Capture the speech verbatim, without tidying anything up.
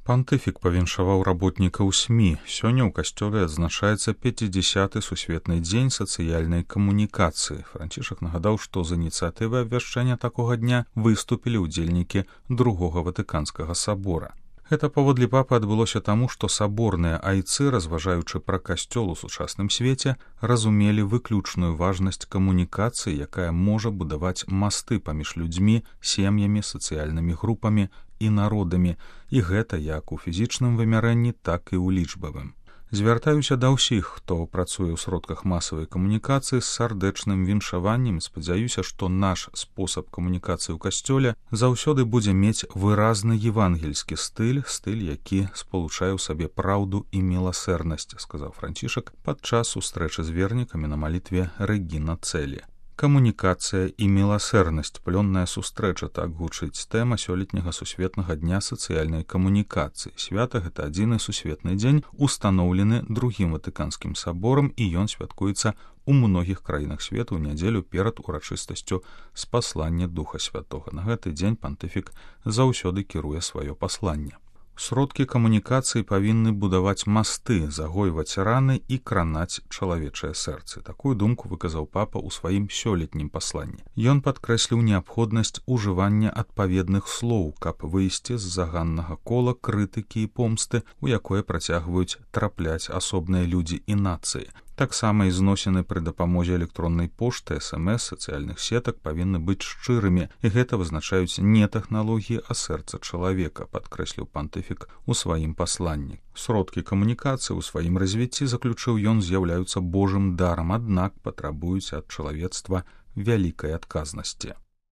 Пантыфік павіншаваў работнікаў СМІ. Сёння ў касцёле адзначаецца пяцідзясяты сусветны дзень сацыяльнай камунікацыі. Францішак нагадаў, што з ініцыятывай абвяшчэння такога дня выступілі ўдзельнікі другога ватыканскага сабора. Гэта паводле папы адбылося таму, што саборныя айцы, разважаючы пра касцёл у сучасным свеце, разумелі выключную важнасць камунікацыі, якая можа будаваць масты паміж людзьмі, сем'ямі, сацыяльнымі групамі і народамі, і гэта як у фізічным вымярэнні, так і ў лічбавым. Звяртаюся да ўсіх, хто працуе ў сродках масавай камунікацыі з сардэчным віншаваннем, спадзяюся, што наш спосаб камунікацыі ў касцёле заўсёды будзе мець выразны евангельскі стыль, стыль, які спалучае ў сабе праўду і міласэрнасць, сказаў Францішак падчас сустрэчы з вернікамі на малітве Рэгіна Цэлі. Камунікацыя і міласэрнасць, плённая сустрэча, так гучыць тэма сёлетняга сусветнага дня сацыяльнай камунікацыі. Свята гэта адзіны сусветны дзень, устаноўлены другім ватыканскім саборам, і ён святкуецца ў многіх краінах свету ў нядзелю перад урачыстасцю спаслання Духа Святога. На гэты дзень пантыфік заўсёды кіруе сваё пасланне. Сродкі камунікацыі павінны будаваць масты, загойваць раны і кранаць чалавечае сэрцы. Такую думку выказаў папа ў сваім сёлетнім пасланні. Ён падкрэсліў неабходнасць ужывання адпаведных слоў, каб выйсці з заганнага кола крытыкі і помсты, у якое працягваюць трапляць асобныя людзі і нацыі. Таксама і зносіны пры дапамозе электроннай пошты, эс эм эс, сацыяльных сетак павінны быць шчырымі, і гэта вызначаюць не тэхналогіі, а сэрца чалавека, падкрэсліў пантыфік у сваім пасланні. Сродкі камунікацыі ў сваім развіцці, заключыў ён, з'яўляюцца Божым дарам, аднак патрабуюць ад чалавецтва вялікай адказнасці.